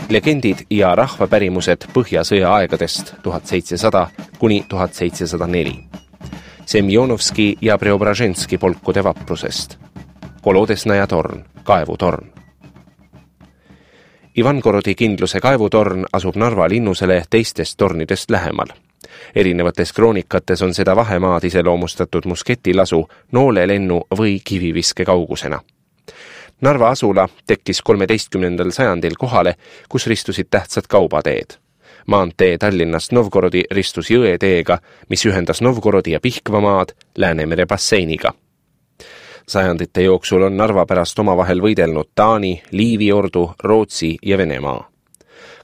Legendid ja rahvapärimused Põhjasõja aegadest 1700 kuni 1704. Semjonovski ja Preobraženski polkude vaprusest. Kolodesnaja torn, kaevutorn. Ivangorodi kindluse kaevutorn asub Narva linnusele teistest tornidest lähemal. Erinevates kroonikates on seda vahemaad iseloomustatud musketilasu, noolelennu või kiviviske kaugusena. Narva asula tekkis 13. sajandil kohale, kus ristusid tähtsad kaubateed. Maantee Tallinnast Novgorodi ristus jõeteega, mis ühendas Novgorodi ja Pihkvamaad Läänemere basseiniga. Sajandite jooksul on Narva pärast omavahel võidelnud Taani, Liivi ordu, Rootsi ja Venemaa.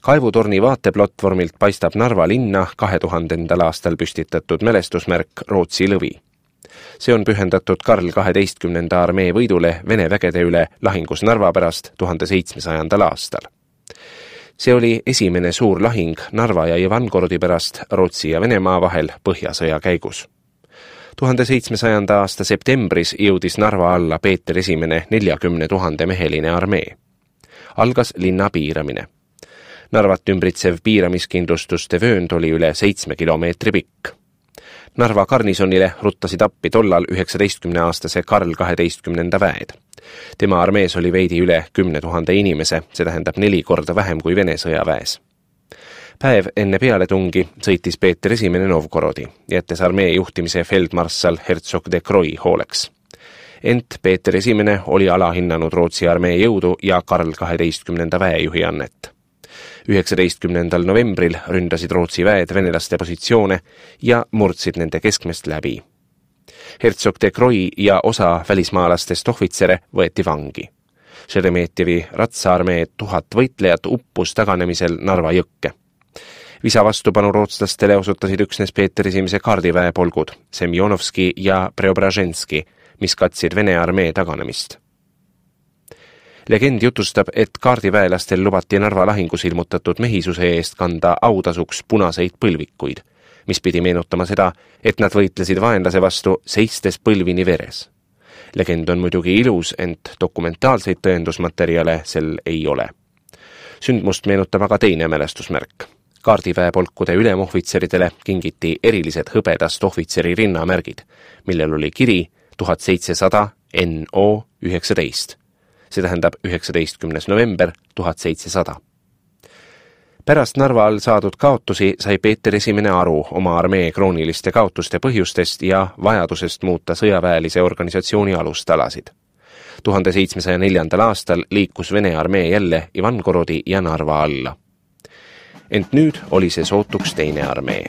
Kaevutorni vaateplatvormilt paistab Narva linna 2000. aastal püstitatud mälestusmärk Rootsi lõvi. See on pühendatud Karl 12. armee võidule Vene vägede üle lahingus Narva pärast 1700. aastal. See oli esimene suur lahing Narva ja Ivangorodi pärast Rootsi ja Venemaa vahel Põhjasõja käigus. 1700. aasta septembris jõudis Narva alla Peeter I 40 000 meheline armee. Algas linna piiramine. Narvat ümbritsev piiramiskindlustuste vöönd oli üle 7 kilomeetri pikk. Narva garnisonile ruttasid appi tollal 19-aastase Karl 12. väed. Tema armees oli veidi üle 10 000 inimese, see tähendab 4 korda vähem kui Vene sõjaväes. Päev enne pealetungi sõitis Peeter I Novgorodi, jättes armee juhtimise feldmarssal Herzog de Croy hooleks. Ent Peeter I oli alahinnanud Rootsi armee jõudu ja Karl 12. väejuhi annet. 19. novembril ründasid Rootsi väed venelaste positsioone ja murdsid nende keskmest läbi. Herzog de Croy ja osa välismaalastest ohvitsere võeti vangi. Šeremetjevi ratsaarmee 1000 võitlejat uppus taganemisel Narva jõkke. Visa vastupanu rootslastele osutasid üksnes Peeter I kaardiväe polgud, Semjonovski ja Preobraženski, mis katsid Vene armee taganemist. Legend jutustab, et kaardiväelastel lubati Narva lahingus ilmutatud mehisuse eest kanda autasuks punaseid põlvikuid, mis pidi meenutama seda, et nad võitlesid vaenlase vastu seistes põlvini veres. Legend on muidugi ilus, ent dokumentaalseid tõendusmaterjale sel ei ole. Sündmust meenutab aga teine mälestusmärk. Kaardiväepolkude ülemohvitseridele kingiti erilised hõbedast ohvitseri rinnamärgid, millel oli kiri 1700 NO 19. See tähendab 19. november 1700. Pärast Narva all saadud kaotusi sai Peeter I aru oma armee krooniliste kaotuste põhjustest ja vajadusest muuta sõjaväelise organisatsiooni alustalasid. 1704. aastal liikus Vene armee jälle Ivangorodi ja Narva alla. Ent nüüd oli see sootuks teine armee.